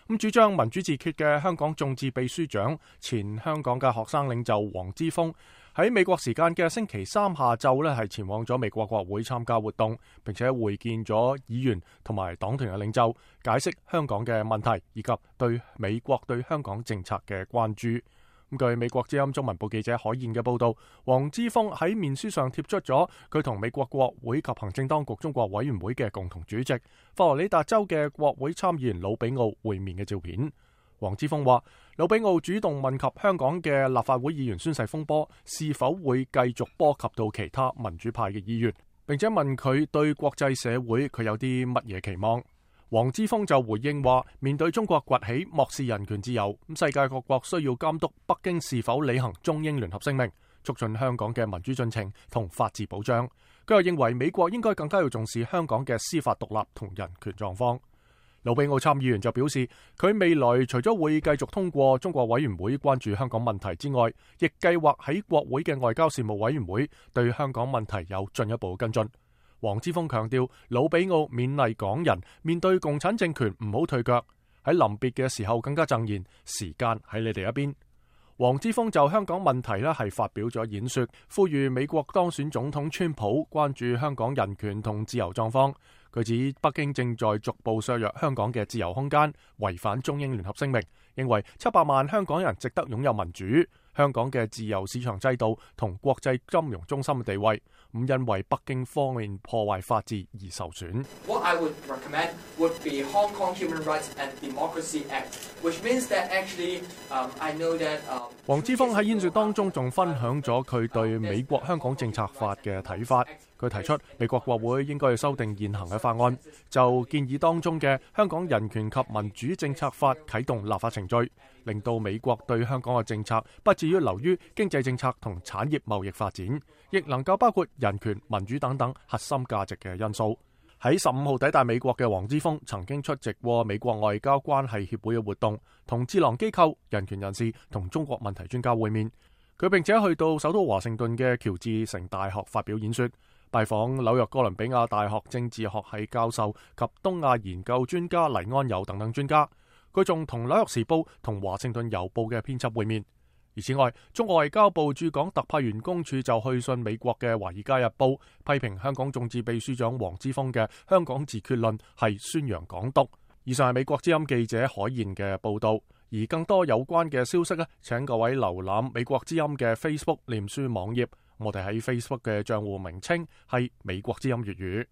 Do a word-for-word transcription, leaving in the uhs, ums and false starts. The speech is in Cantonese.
咁主張民主自決嘅香港眾志秘書長、前香港嘅學生領袖黃之鋒喺美國時間嘅星期三下晝呢，係前往咗美國國會參加活動，並且會見咗議員同埋黨團嘅領袖，解釋香港嘅問題以及對美國對香港政策嘅關注。咁據美國之音中文部記者海燕嘅報道，黃之鋒喺面書上貼出咗佢同美國國會及行政當局中國委員會嘅共同主席佛羅里達州嘅國會參議員魯比奧會面嘅照片。黃之鋒話，魯比奧主動問及香港嘅立法會議員宣誓風波是否會繼續波及到其他民主派嘅議員，並且問佢對國際社會佢有啲乜嘢期望。黃之鋒就回應話，面對中國崛起漠視人權自由，咁世界各國需要監督北京是否履行中英聯合聲明，促進香港嘅民主進程同法治保障。佢又認為美國應該更加要重視香港嘅司法獨立同人權狀況。魯比奧參議員就表示，佢未來除咗會繼續通過中國委員會關注香港問題之外，亦計劃喺國會嘅外交事務委員會對香港問題有進一步跟進。黃之鋒強調，魯比奧勉勵港人面對共產政權唔好退腳，喺臨別嘅時候更加贈言，時間喺你哋一邊。黃之鋒就香港問題呢係發表咗演說，呼籲美國當選總統川普關注香港人權同自由狀況。佢指北京正在逐步削弱香港嘅自由空間，違反中英聯合聲明，認為七百萬香港人值得擁有民主，香港嘅自由市場制度同國際金融中心嘅地位唔因為北京方面破壞法治而受損。What I would recommend would be Hong Kong Human Rights and Democracy Act, which means that actually, um, I know that. 黃之鋒喺演說當中仲分享咗佢對美國香港政策法嘅睇法。佢提出美國國會應該要修訂現行嘅法案，就建議當中嘅香港人權及民主政策法啟動立法程序，令到美國對香港嘅政策不至於流於經濟政策同產業貿易發展，亦能夠包括人權、民主等等核心價值嘅因素。喺十五號抵達美國嘅黃之鋒曾經出席過美國外交關係協會嘅活動，同智囊機構、人權人士同中國問題專家會面。佢並且去到首都華盛頓嘅喬治城大學發表演說，拜訪紐約哥倫比亞大學政治學系教授及東亞研究專家黎安友等等專家。佢仲同紐約時報同華盛頓郵報嘅編輯會面。而此外，中國外交部駐港特派員公署就去信美國嘅《華爾街日報》，批評香港眾志秘書長黃之鋒嘅香港自決論係宣揚港獨。以上係美國之音記者海燕嘅報道。而更多有關嘅消息呢，請各位瀏覽美國之音嘅 Facebook 臉書網頁。我哋喺 Facebook 嘅賬戶名稱係美國之音粵語。